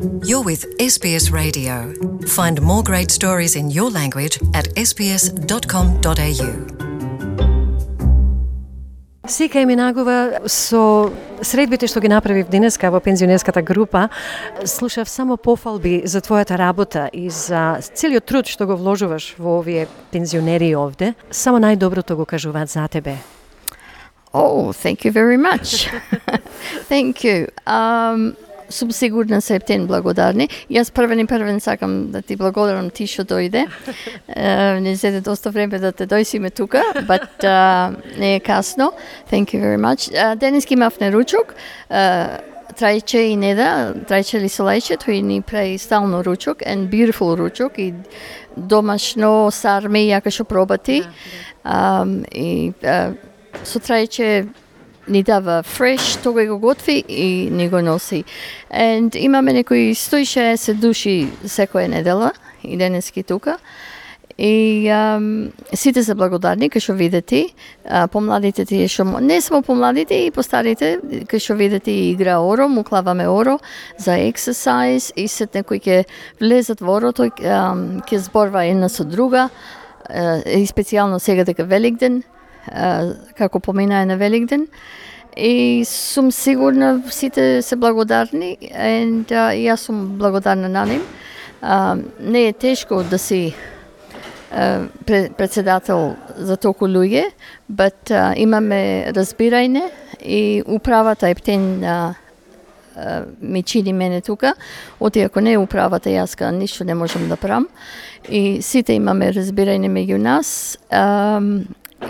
You're with SBS Radio. Find more great stories in your language at sbs.com.au. Сика минагува со средбите што ги направив денеска во пензионерската група. Слушав само пофалби за твојата работа и за целиот труд што го вложуваш во овие пензионери овде. Само најдоброто го кажуваат за тебе. Oh, thank you very much. Thank you. Сум сигурна се ептен благодарни. Јас првен сакам да ти благодарам ти што дојде. Не зеде доста време да те дојсиме тука, but не е касно. Thank you very much. Денес имавме ручок. Трајче и Неда, Трајче Лисолајче, тој ни прави стално ручок, and beautiful ручок, и домашно сарме, јака што пробати. И со Трајче ни дава фреш, тој го готви и ни го носи. And имаме некои 160 души секоја недела, и денески тука. И сите се благодарни, кај што видите, помладите тие што не само помладите, и постарите, кај што видите игра оро, му клаваме оро за ексерсайз, и сет некои ќе влезат во оро, тој ќе зборва една со друга, и специјално сега дека Великден, како поминае на Великден. И сум сигурна сите се благодарни, and јас сум благодарна на нив. Не е тешко да си председател за толку луѓе, but имаме разбирање и управата ептен ми чини мене тука. Оти ако не е управата, јас ништо не можам да правам. И сите имаме разбирање меѓу нас.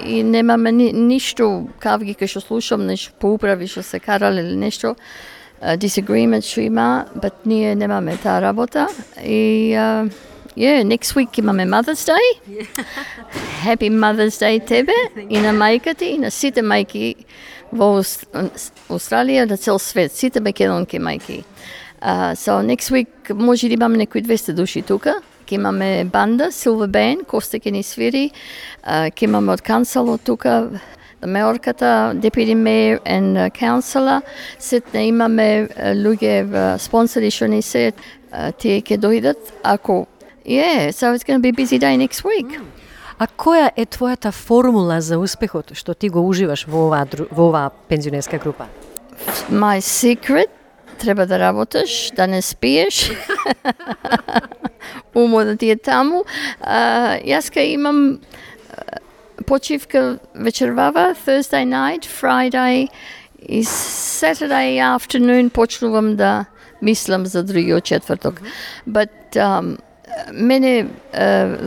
И немаме ништо кавги кај што слушам, нешто по управи што се карале или нешто, disagreement што има, but ние немаме таа работа. И next week имаме Mother's Day. Happy Mother's Day тебе и на мајката и на сите мајки во Австралија, на цел свет, сите македонски мајки. So next week може да имаме некои 200 души тука. Ке имаме банда, Silver Band, Коста ќе ни свири, ке имаме од канцелот тука, меорката, Deputy Mayor and Councillor, сетне имаме луѓе спонсори што ни се, тие ќе дојдат, ако so it's going to be a busy day next week. А која е твојата формула за успехот што ти го уживаш во оваа пензионерска група? My secret, треба да работиш, да не спиеш. Умо да ти е таму. Јас кај имам почивка вечервава, Thursday night, Friday и Saturday afternoon почнувам да мислам за другиот четврток. But мене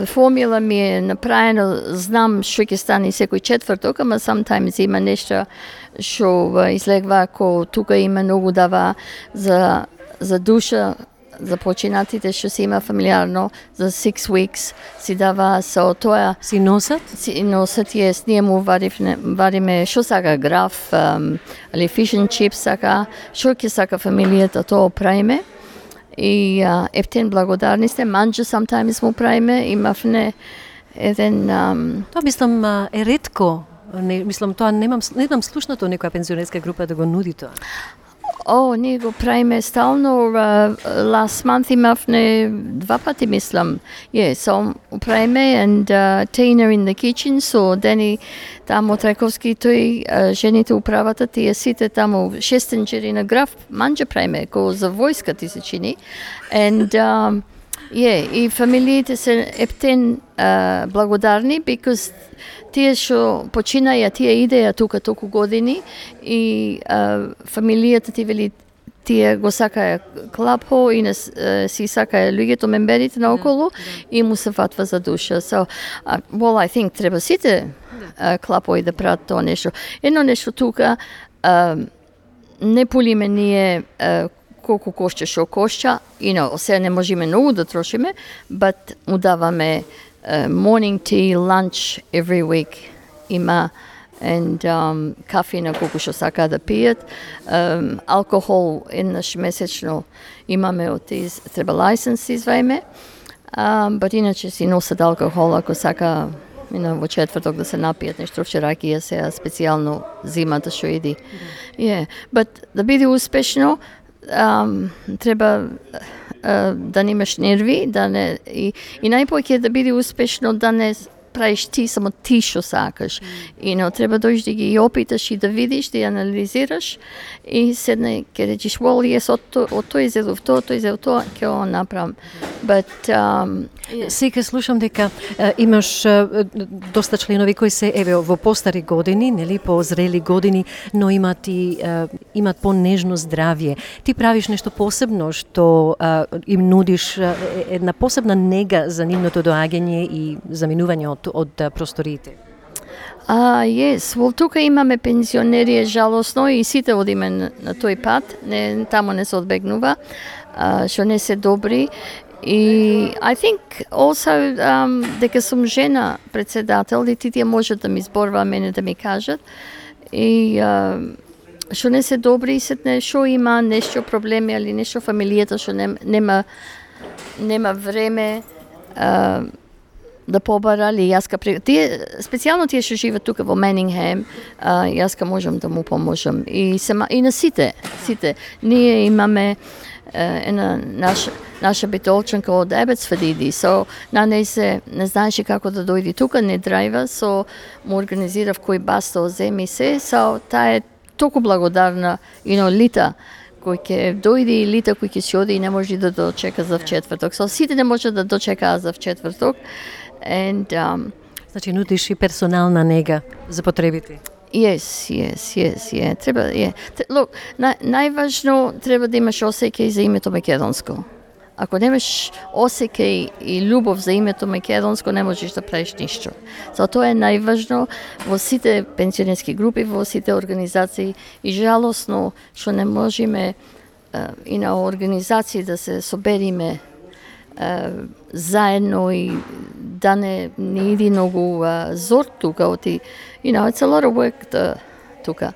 формула ми е направено, знам што ќе стане секој четврток, ама sometimes има нешто што излегва, ако тука има многу дава за душа, за починатите што се има фамилиарно, за 6 weeks си дава со тоа. Си носат? Си носат, ние му вариме што сака граф, или fish and chips сака, што ќе сака фамилијата, тоа правиме. И ептен благодарни сте, манџа sometimes му правиме, имавме еден... Тоа мислам е ретко. Мислам, тоа немам слушнато некоја пензионерска група да го нуди тоа. Ние го правиме стално. Last month имавме 2 пати, мислам. So правиме, and Tina in the kitchen, so Дени таму Трајковски, тој жените управата, тие сите таму шестенџери на граф, манџа правиме, ко за војска ти се чини. And и фамилиите се ептен благодарни, because тие што починаја, тие идеја тука толку години, и фамилијата ти вели, тие го сакаја клапо и си сакаја луѓето, мемберите наоколу, и му се фатва за душа. So, I think треба сите клапои да прават тоа нешто. Едно нешто тука, не полиме ние колку кошча што кошча, сега не можеме многу да трошиме, but му даваме morning tea, lunch every week има, and кафе на колку што сака да пијат, алкохол еднаш месечно имаме од тез, треба лајсенс извајме, but иначе си носат алкохол ако сака во четврток да се напијат нешто, ракија сега специјално зимата што иди. But да биде успешно, треба да немаш нерви, да не и најпоќе да биде успешно, да не правиш ти само ти што сакаш. Треба дојдеш да ги опиташ и да видиш, да анализираш и седне ќе речеш, well, yes, од тој изедов тоа, ќе го направам. But Сега слушам дека имаш доста членови кои се во постари години, нели, по-зрели години, но имат понежно здравје. Ти правиш нешто посебно што им нудиш една посебна нега за нивното доаѓање и заминување од просториите? Yes. Well, тука имаме пензионери, жалосно, и сите одиме на тој пат. Тамо не се одбегнува, што не се добри. И I think also дека сум жена председател и тие можат да ми зборува мене да ми кажат. И што не се добри, сетне што има нешто проблеми или нешто фамилијата што нема време да побара, или јас специјално тие што живеат тука во Манингем, јас можам да му поможам. И на сите. Ние имаме една наша битолчанка од Абетсфорд, на неј се не знаеше како да дојде тука, не драйва, му организирав кој бас да земи се, таа е толку благодарна, Лита, кој ќе дојде и Лита кој ќе си оди и не може да дочека за вчетврток. Сите не може да дочекаат за вчетврток. Значи нудиш и персонална нега за потребите. Yes. Треба, Look, најважно треба да имаш осеќај за името македонско. Ако немаш осеќај и љубов за името македонско, не можеш да правиш ништо. Тоа е најважно во сите пензионерски групи, во сите организации, и жалосно што не можеме и на организации да се собериме заедно и да не иди многу зор тука, it's a lot of work тука.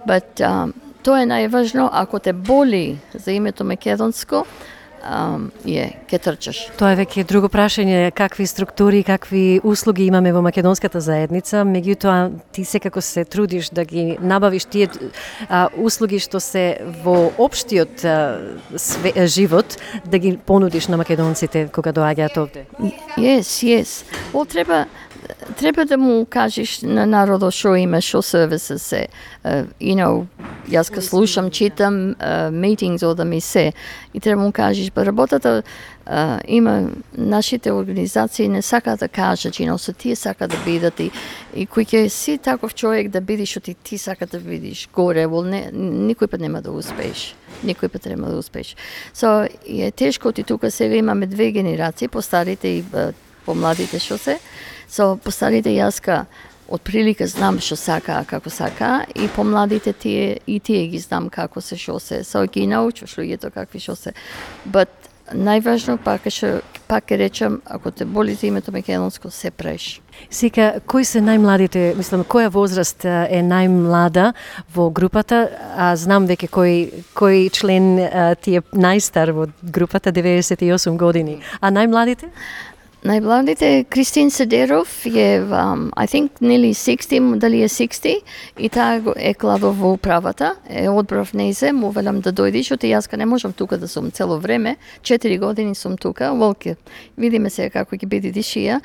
But тоа е најважно, ако те боли за името македонско, ќе трчаш. Тоа е веќе друго прашање, какви структури, какви услуги имаме во македонската заедница, меѓутоа ти секако се трудиш да ги набавиш тие услуги што се во општиот живот, да ги понудиш на македонците кога доаѓаат овде. Yes. Треба да му кажеш на народот што има, што сервиси се. Јас ка слушам, читам meetings од да ми се, и треба му кажеш, работата има, нашите организации не сакаат да кажат, со тие сакаат да бидат и кој ќе си таков човек да бидиш, што ти сакаат да видиш горе, никој пат нема да успееш. Е тешко, тука сега имаме две генерации, постарите и помладите што се. Постарите јаска отприлика знам што сака, како сака, и помладите тие ги знам како се, што се. Ги научуваш луѓето какви што се. But најважно пак ќе речам, ако те боли за името македонско, се преш. Сега, кои се најмладите, која возраст е најмлада во групата? Знам веќе кој член ти е најстар во групата, 98 години. А најмладите? Најмладите, Кристин Седеров е, I think, nearly 60, дали е 60, и таа е клава во управата, одбрав нејзе, му велам да дојдеш, оти јас не можам тука да сум цело време, 4 години сум тука, видиме се како ќе биде дишија.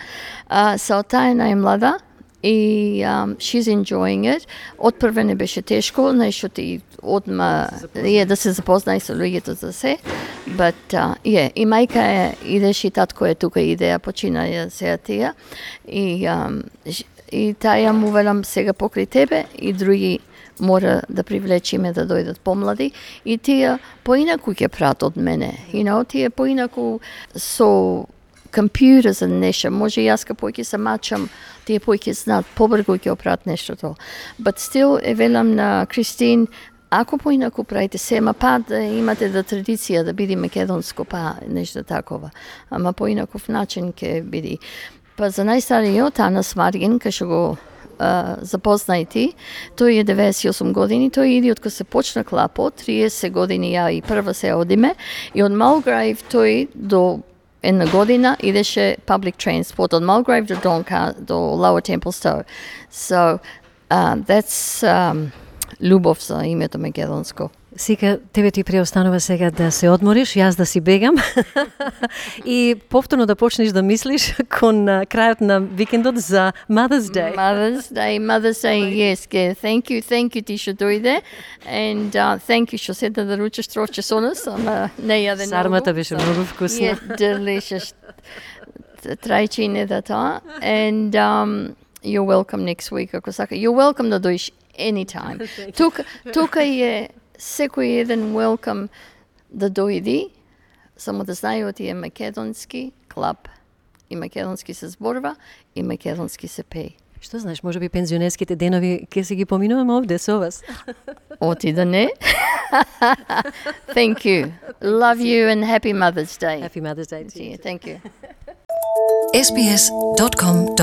Таа е најмлада, и she's enjoying it. Отпрве не беше тешко, нешто ти одма да се запознај со луѓето за се. But и мајка идеш и татко е тука, идеја почина сега тие. И таа му велам сега покрај тебе и други мора да привлечиме да дојдат помлади, и тие поинаку ќе прат од мене. Тие поинаку со компјутер за нешто, може јас поќе се мачам, тие поќе знаат, побрзо ќе опрат нештото. But still, велам на Кристин, ако поинаку правите се, да имате традиција да биде македонско, нешто такова. Ама поинаков начин ќе биде. За најстариот, Анас Маргин, кај што го запознајте, тој е 98 години, тој иди од кога се почна клапо, 30 години ја и прва се одиме, и од Mulgrave тој до една година идеше public transport од Mulgrave до Lower Templestowe. That's љубов за името македонско. Сика, тебе ти преостанува сега да се одмориш, јас да си бегам и повторно да почнеш да мислиш кон крајот на викендот за Mother's Day. Mother's Day, yes. Thank you ти што дојде, and thank you што седна да ручеш трошче со нас, ама не јаде многу. Сармата беше многу вкусна. Yeah, delicious. Трајчи не да тоа, and you're welcome next week, ако сака. You're welcome да дојдеш anytime. Тука е секој еден welcome да дојди, само да знае оти е македонски клуб, и македонски се зборува, и македонски се пее. Што знаеш, може би пензионерските денови ќе си ги поминуваме овде со вас. Оти да не. Thank you. Love you and happy Mother's Day. Happy Mother's Day to you. Thank you. sbs.com.au